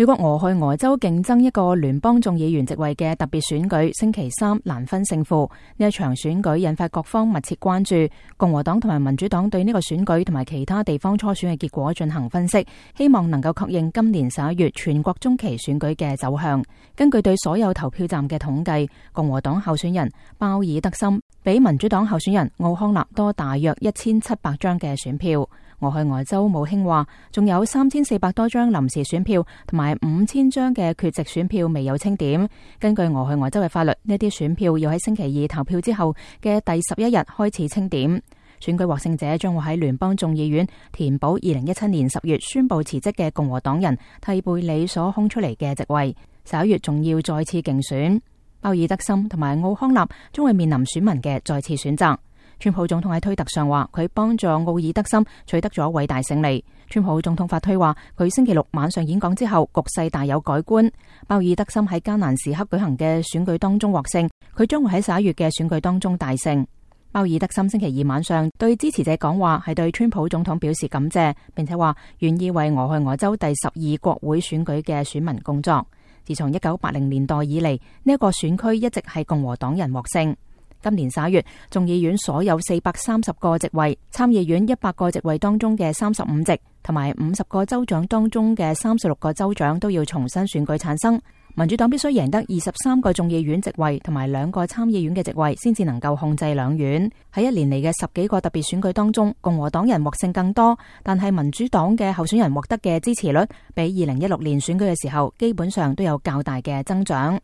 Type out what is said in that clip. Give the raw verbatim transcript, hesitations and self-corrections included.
美國俄亥俄州競爭一個聯邦眾議員席位嘅特別選舉，星期三難分勝負。呢一場選舉引發各方密切關注，共和黨同埋民主黨對呢個選舉同埋其他地方初選嘅結果進行分析，希望能夠確認今年十一月全國中期選舉嘅走向。根據對所有投票站嘅統計，共和黨候選人鮑爾德森比民主黨候選人奧康納多大約一千七百張嘅選票。俄亥俄州務卿話，仲有三千四百多張臨時選票同埋五千張嘅缺席選票未有清點。根據俄亥俄州嘅法律，呢啲選票要喺星期二投票之後嘅第十一日開始清點。選舉獲勝者將會喺聯邦眾議院填補二零一七年十月宣布辭職嘅共和黨人蒂貝里所空出嚟嘅席位。十一月仲要再次競選。鮑爾德森同埋奧康納將會面臨選民嘅再次選擇。川普總統喺推特上話，佢幫助奧爾德森取得咗偉大勝利。川普總統發推話，佢星期六晚上演講之後，局勢大有改觀。鮑爾德森喺艱難時刻舉行嘅選舉當中獲勝，佢將會喺十一月嘅選舉當中大勝。鮑爾德森星期二晚上對支持者講話，係對川普總統表示感謝，並且話願意為俄亥俄州第十二國會選舉嘅選民工作。自從一九八零年代以嚟，呢一個選區一直係共和黨人獲勝。今年十一月，眾議院所有四百三十個席位，參議院一百個席位當中嘅三十五席，同埋五十個州長當中嘅三十六個州長都要重新選舉產生。民主黨必須贏得二十三個眾議院席位同埋兩個參議院嘅席位，先至能夠控制兩院。喺一年嚟嘅十幾個特別選舉當中，共和黨人獲勝更多，但係民主黨嘅候選人獲得嘅支持率比二零一六年選舉嘅時候基本上都有較大嘅增長。